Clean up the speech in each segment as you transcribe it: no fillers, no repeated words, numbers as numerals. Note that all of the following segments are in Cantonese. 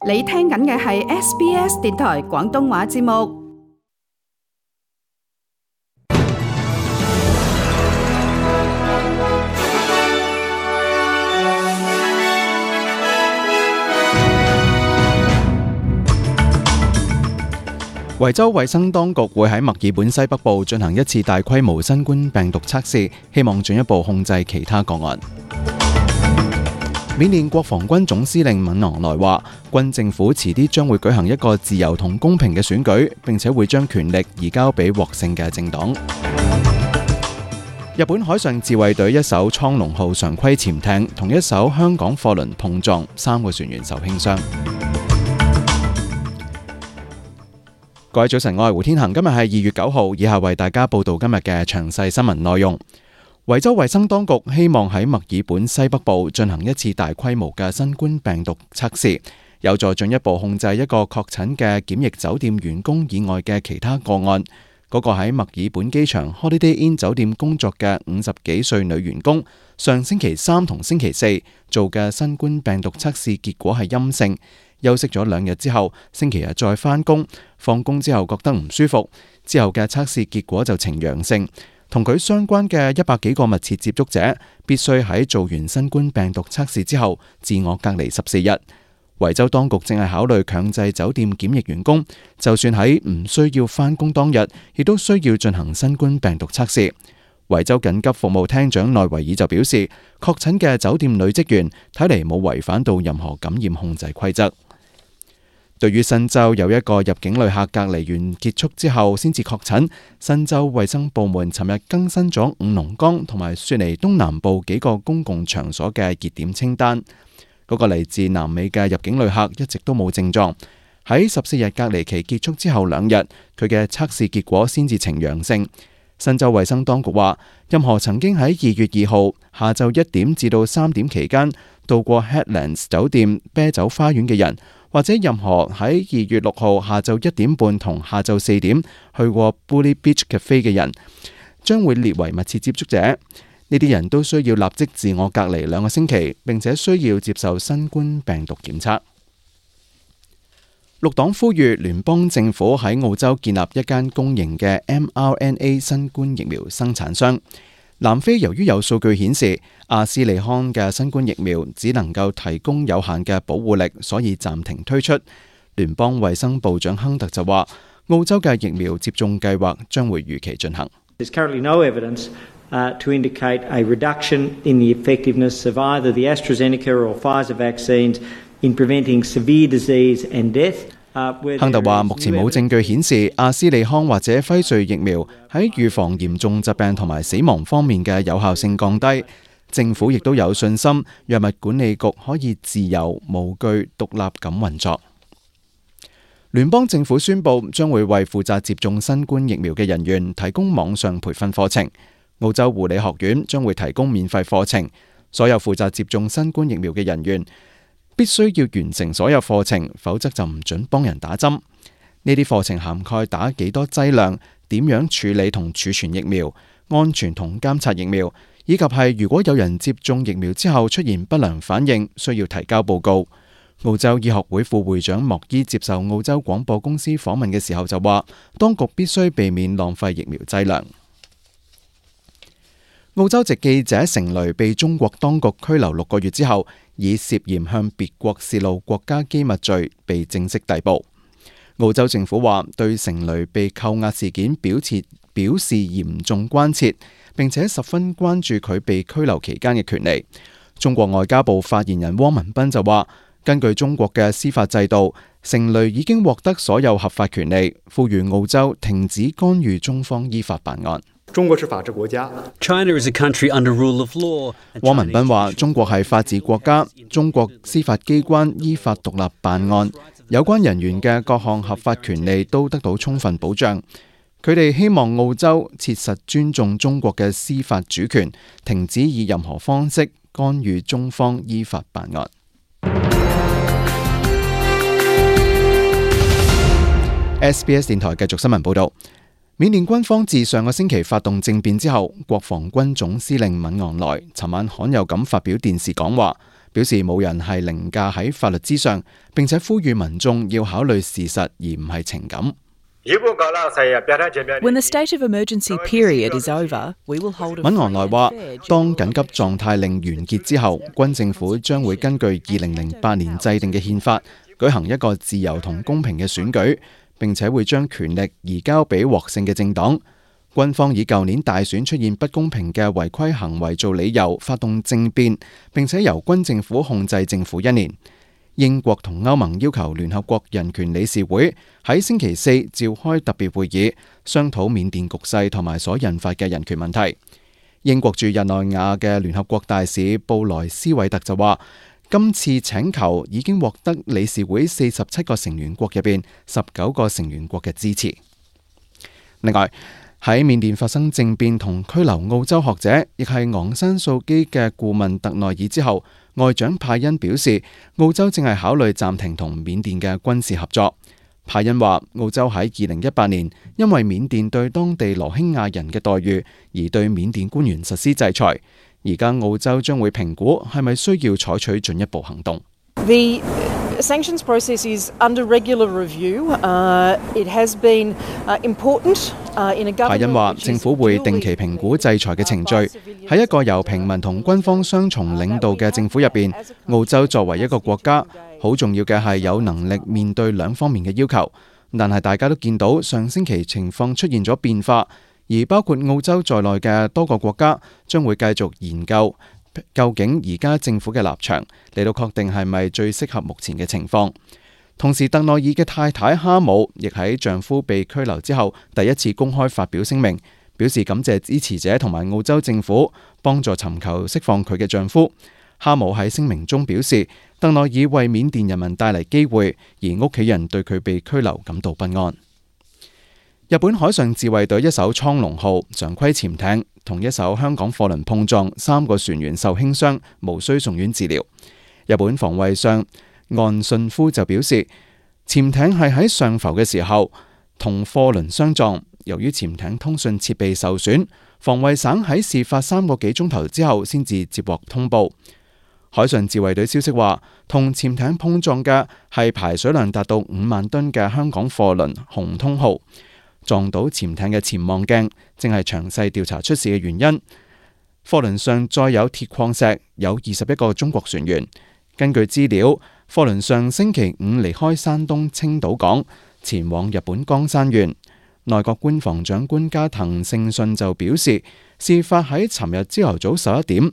你聽緊嘅係 SBS 電台廣東話節目。維州衛生當局會喺墨爾本西北部進行一次大規模新冠病毒測試，希望進一步控制其他個案。緬甸國防軍總司令敏昂萊話，軍政府遲啲將會舉行一個自由同公平嘅選舉，並且會將權力移交俾獲勝嘅政黨。日本海上自衛隊一艘蒼龍號常規潛艇同一艘香港貨輪碰撞，3個船員受輕傷。各位早晨，我係胡天恒，今日係2月9號，以下為大家報道今日嘅詳細新聞內容。維州衛生當局希望喺墨爾本西北部進行一次大規模嘅新冠病毒測試，有助進一步控制一個確診嘅檢疫酒店員工以外嘅其他個案。嗰個喺墨爾本機場 Holiday Inn 酒店工作嘅50幾歲女員工，上星期3同星期4做嘅新冠病毒測試結果係陰性。休息咗2日之後，星期日再返工，放工之後覺得唔舒服，之後嘅測試結果就呈陽性。同佢相關嘅100幾個密切接觸者，必須喺做完新冠病毒測試之後，自我隔離14日。維州當局正係考慮強制酒店檢疫員工，就算喺唔需要返工當日，亦都需要進行新冠病毒測試。維州緊急服務廳長內維爾就表示，確診嘅酒店女職員睇嚟冇違反到任何感染控制規則。對於新州有一個入境旅客隔離完結束之後先至確診，新州衛生部門尋日更新咗五龍崗同埋雪梨東南部幾個公共場所嘅熱點清單。嗰個嚟自南美嘅入境旅客一直都冇症狀，喺14日隔離期結束之後2日，佢嘅測試結果先至呈陽性。新州衛生當局話，任何曾經喺2月2號下晝1點至到3點期間到過 Headlands 酒店啤酒花園嘅人，或者任何喺2月6號下晝1點半同下晝4點去過 Bully Beach Cafe 嘅人，將會列為密切接觸者。呢啲人都需要立即自我隔離2個星期，並且需要接受新冠病毒檢測。綠黨呼籲聯邦政府喺澳洲建立一間公營嘅 mRNA 新冠疫苗生產商。南非由於有數據顯示阿斯利康嘅新冠疫苗只能夠提供有限嘅保護力，所以暫停推出。聯邦衛生部長亨特就話，澳洲嘅疫苗接種計劃將會如期進行。There's currently no evidence to indicate a reduction in the effectiveness of either the AstraZeneca or Pfizer vaccines in preventing severe disease and death。亨特話，目前冇證據顯示阿斯利康或者輝瑞疫苗喺預防嚴重疾病同埋死亡方面嘅有效性降低。政府亦都有信心，藥物管理局可以自由、無懼、獨立咁運作。聯邦政府宣布將會為負責接種新冠疫苗嘅人員提供網上培訓課程。澳洲護理學院將會提供免費課程，所有負責接種新冠疫苗嘅人員必須要完成所有課程，否則就唔准幫人打針。呢啲課程涵蓋打幾多劑量、點樣處理同儲存疫苗、安全同監察疫苗，以及係如果有人接種疫苗之後出現不良反應，需要提交報告。澳洲醫學會副會長莫伊接受澳洲廣播公司訪問嘅時候就話，當局必須避免浪費疫苗劑量。澳洲籍記者成蕾被中國當局拘留6個月之後，以涉嫌向別國泄露國家機密罪被正式逮捕。澳洲政府話對成蕾被扣押事件表示嚴重關切，並且十分關注佢被拘留期間嘅權利。中國外交部發言人汪文斌就話，根據中國嘅司法制度，成蕾已經獲得所有合法權利，呼籲澳洲停止干預中方依法辦案。中國是法治國家。China is a country under rule of law。汪文斌話：中國係法治國家，中國司法機關依法獨立辦案，有關人員嘅各項合法權利都得到充分保障。佢哋希望澳洲切實尊重中國嘅司法主權，停止以任何方式干預中方依法辦案。SBS 電台繼續新聞報導。緬甸軍方自上個星期發動政變之後，國防軍總司令敏昂萊尋晚罕有咁發表電視講話，表示冇人係凌駕喺法律之上，並且呼籲民眾要考慮事實而唔係情感。When the state of emergency period is over, we will hold a 敏昂萊話，當緊急狀態令完結之後，軍政府將會根據2008年制定嘅憲法，舉行一個自由同公平嘅選舉，並且會將權力移交俾獲勝嘅政黨。軍方以舊年大選出現不公平嘅違規行為做理由，發動政變，並且由軍政府控制政府1年。英國同歐盟要求聯合國人權理事會喺星期四召開特別會議，商討緬甸局勢同埋所引發嘅人權問題。英國駐日內瓦嘅聯合國大使布萊斯韋特就話，今次請求已經獲得理事會47個成員國入邊19個成員國嘅支持。另外，喺緬甸發生政變同拘留澳洲學者，亦係昂山素基嘅顧問特內爾之後，外長派恩表示，澳洲正係考慮暫停同緬甸嘅軍事合作。派恩話，澳洲喺2018年因為緬甸對當地羅興亞人嘅待遇而對緬甸官員實施制裁，而家澳洲將會評估係咪需要採取進一步行動。The sanctions process is under regular review. It has been important in a government. 派恩話，政府會定期評估制裁嘅程序。喺一個由平民同軍方雙重領導嘅政府入邊，澳洲作為一個國家，好重要嘅係有能力面對兩方面嘅要求。但係大家都見到上星期情況出現咗變化，而包括澳洲在內嘅多個國家將會繼續研究究竟而家政府嘅立場，嚟到確定係咪最適合目前嘅情況。同時，特內爾嘅太太哈姆亦喺丈夫被拘留之後第一次公開發表聲明，表示感謝支持者同埋澳洲政府幫助尋求釋放佢嘅丈夫。哈姆喺聲明中表示，特內爾為緬甸人民帶嚟機會，而屋企人對佢被拘留感到不安。日本海上自衛隊一艘蒼龍號常規潛艇同一艘香港貨輪碰撞，3個船員受輕傷，無需送院治療。日本防衛相岸信夫就表示，潛艇係喺上浮嘅時候同貨輪相撞，由於潛艇通訊設備受損，防衛省喺事發3個幾鐘頭之後先至接獲通報。海上自衛隊消息話，同潛艇碰撞嘅係排水量達到5萬噸嘅香港貨輪紅通號。撞到潛艇嘅潛望鏡，正係詳細調查出事嘅原因。貨輪上載有鐵礦石，有21個中國船員。根據資料，貨輪上星期5離開山東青島港，前往日本江山縣。內閣官房長官加藤勝信就表示，事發喺尋日朝頭早11點。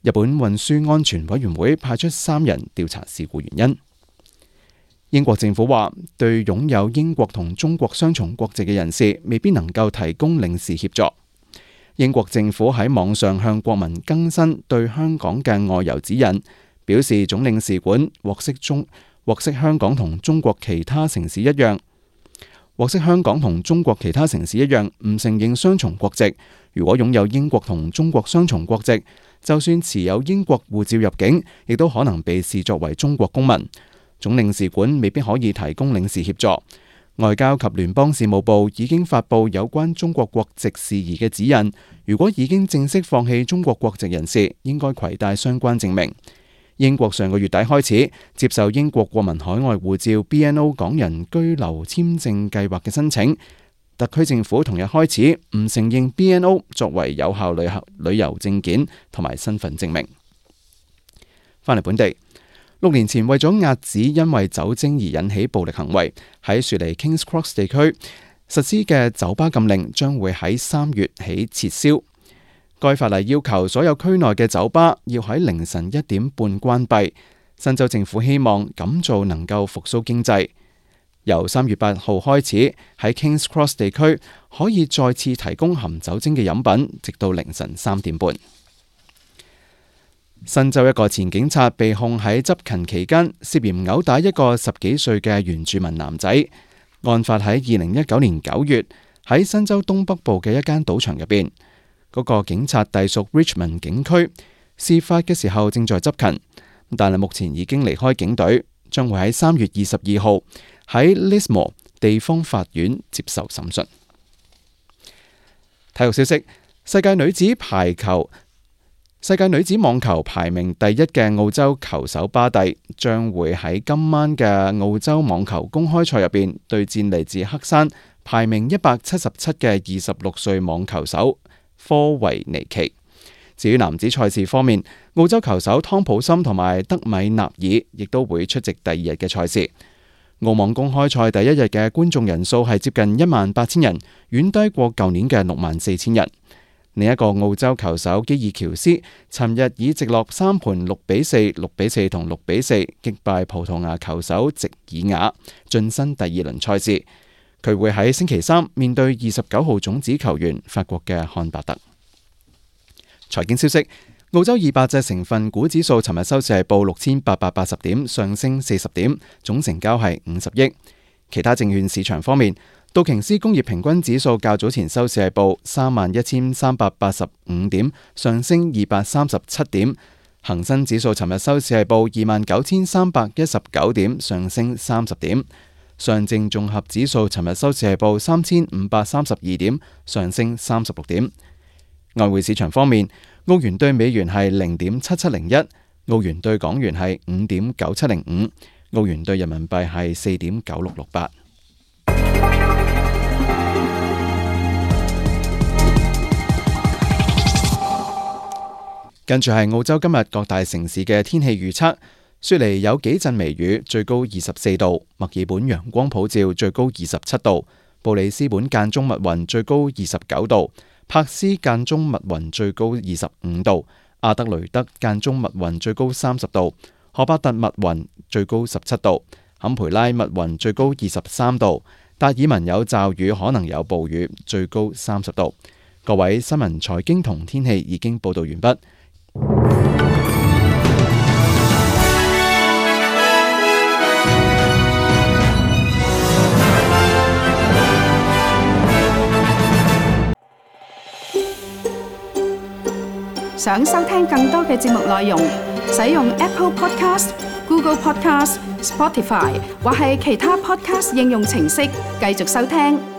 日本運輸安全委員會派出3人調查事故原因。英國政府話，對擁有英國同中國雙重國籍嘅人士，未必能夠提供領事協助。英國政府喺網上向國民更新對香港嘅外遊指引，表示總領事館獲悉香港同中國其他城市一樣，唔承認雙重國籍。如果擁有英國同中國雙重國籍，就算持有英國護照入境，亦都可能被視作為中國公民。總領事館未必可以提供領事協助。外交及聯邦事務部已經發布有關中國國籍事宜嘅指引，如果已經正式放棄中國國籍人士，應該攜帶相關證明。英國上個月底開始接受英國國民海外護照 BNO 港人居留簽證計劃嘅申請，特區政府同日開始唔承認 BNO 作為有效旅遊證件同埋身份證明。翻嚟本地，6年前為咗遏止因為酒精而引起暴力行為，喺雪梨 Kings Cross 地區實施嘅酒吧禁令將會喺3月起撤銷。該法例要求所有區內嘅酒吧要喺凌晨1點半關閉。新州政府希望咁做能夠復甦經濟。由3月8號開始，喺 Kings Cross 地區可以再次提供含酒精嘅飲品，直到凌晨3點半。新州一個前警察被控喺執勤期間涉嫌毆打一個10幾歲嘅原住民男仔。案發喺2019年9月，喺新州東北部嘅一間賭場入邊。嗰個警察隸屬 Richmond 警區，事發嘅時候正在執勤，但係目前已經離開警隊，將會喺3月22號喺 Lismore 地方法院接受審訊。體育消息：世界女子排球世界女子網球排名第一嘅澳洲球手巴蒂將會喺今晚嘅澳洲網球公開賽入邊對戰嚟自黑山排名177嘅26歲網球手科維尼奇。至於男子賽事方面，澳洲球手湯普森同埋德米納爾亦都會出席第二日嘅賽事。澳網公開賽第一日嘅觀眾人數係接近18000人，遠低過舊年嘅64000人。另一個澳洲球手基爾喬斯，尋日以直落3盤6-4、6-4同6-4擊敗葡萄牙球手席爾瓦，晉身第二輪賽事。佢會喺星期三面對29號種子球員法國嘅漢伯特。財經消息，澳洲200隻成分股指數尋日收市係報6880點，上升40點，總成交係50億。其他證券市場方面，道瓊斯工業平均指數較早前收市係報31385點，上升237點。恒生指數尋日收市係報29319點，上升30點。上證綜合指數尋日收市係報3532點，上升36點。外匯市場方面，澳元對美元係0.7701，澳元對港元係5.9705，澳元對人民幣係4.9668。跟住係澳洲今日各大城市嘅天氣預測。雪梨有幾陣微雨，最高24度；墨爾本陽光普照，最高27度；布里斯本間中密雲，最高29度；柏斯間中密雲，最高25度；阿德雷德間中密雲，最高30度；荷巴特密雲，最高17度；坎培拉密雲，最高23度；達爾文有驟雨，可能有暴雨，最高30度。各位，新聞、財經同天氣已經報道完畢。想收聽更多嘅節目內容，使用 Apple Podcast、Google Podcast、Spotify 或係其他 Podcast 應用程式繼續收聽。